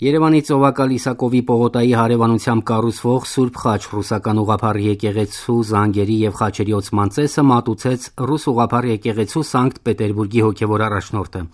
Երևանի Ծովակալ Իսակովի պողոտայի հարևանությամբ կառուցվող Սուրբ Խաչ ռուսական ուղղափառ եկեղեցու զանգերի եւ խաչերի ոցման ծեսը մատուցեց ռուս ուղղափառ եկեղեցու Սանկտ Պետերբուրգի հոգեվոր առաջնորդը։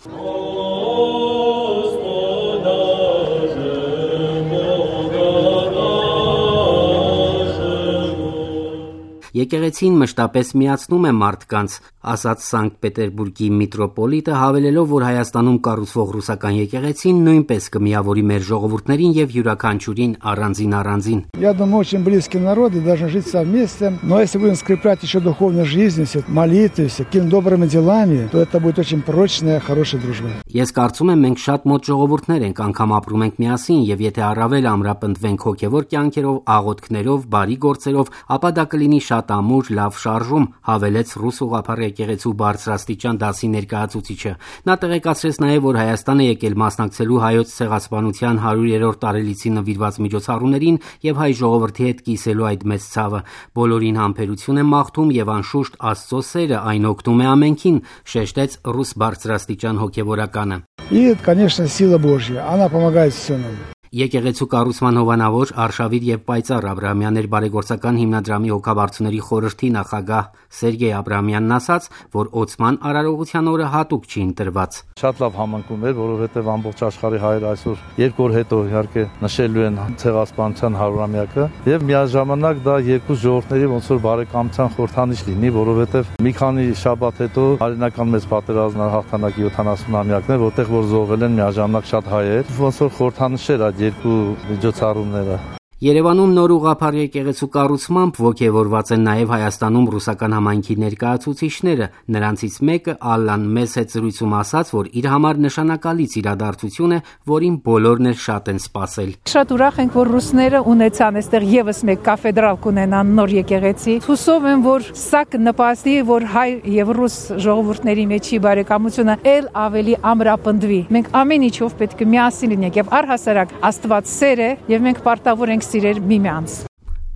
Եկեղեցին մշտապես միացնում է մարդկանց, ասաց Սանկտ Պետերբուրգի միտրոպոլիտը, հավելելով, որ Հայաստանում կառուցվող ռուսական եկեղեցին նույնպես կմիավորի մեր ժողովուրդներին եւ յուրաքանչյուրին առանձին։ Я думаю, очень близкие народы должны жить совместно, но если будем скреплять еще духовной жизнью, молитвой, какими добрыми делами, то это будет очень прочная, хорошая дружба. Ես կարծում եմ, մենք շատ մոտ ժողովուրդներ ենք, անգամ ապրում ենք միասին եւ եթե առավել ամրապնդվենք հոգեվոր կյանքերով, աղոթքներով, բարի գործերով, ապա դա կլինի շատ ամուր, լավ շարժում, հավելեց ռուս ուղղափառ եկեղեցու բարձրաստիճան դասի ներկայացուցիչը։ Նա տեղեկացրեց նաեւ, որ Հայաստան է եկել մասնակցելու հայոց ցեղասպանության 100-րդ տարելիցին նվիրված միջոցառումներին եւ հայ ժողովրդի հետ կիսելու այդ մեծ ցավը։ Բոլորին համբերություն եմ մաղթում եւ անշուշտ Աստծո սերը այն օգնում է ամենքին, շեշտեց ռուս բարձրաստիճան հոգեվորականը։ И, конечно, сила Божья, она помогает всем нам. Եկեղեցու կառուցման հովանավոր Արշավիր եւ Պայծառ Աբրահամյաններ բարեգործական հիմնադրամի հոգաբարձուների խորհրդի նախագահ Սերգեյ Աբրահամյանն ասաց, որ Օծման արարողության օրը հատուկ չի ընտրված։ Շատ լավ համընկնում էր, որովհետեւ ամբողջ աշխարհի հայեր այսօր 2 օր հետո իհարկե նշելու են ցեղասպանության 100-ամյակը եւ միաժամանակ դա երկու ժողովուրդների ոնց որ բարեկամության խորհրդանիշ լինի, որովհետեւ մի քանի շաբաթ հետո հայրենական մեծ պատերազմն հաղթանակի 70-ամյակն է, որտեղ որ զոհվել են միաժամանակ շատ հայեր, ոնց որ խորհրդանիշեր երկու միջոցառումները։ Երևանում նոր ուղղափառ եկեղեցու կառուցմամբ ոգևորված են նաև Հայաստանում ռուսական համայնքի ներկայացուցիչները։ Նրանցից մեկը Ալլան մեծ զրույցում ասաց, որ իր համար նշանակալից իրադարձություն է, որին բոլորն էլ շատ են սպասել։ Շատ ուրախ ենք, որ ռուսները ունեցան այստեղ եւս մեկ կաֆեդրալ կունենան նոր եկեղեցի։ Հուսով եմ, որ սա կնպաստի, որ հայ եւ ռուս ժողովուրդների մեջի բարեկամությունը ել ավելի ամրապնդվի։ Մենք ամեն ինչով պետք է միասին լինենք եւ առհասարակ Աստված սեր է եւ մենք պարտավոր ենք սիրել միմյանց։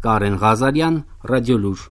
Կարեն Ղազարյան, Ռադիոլուր։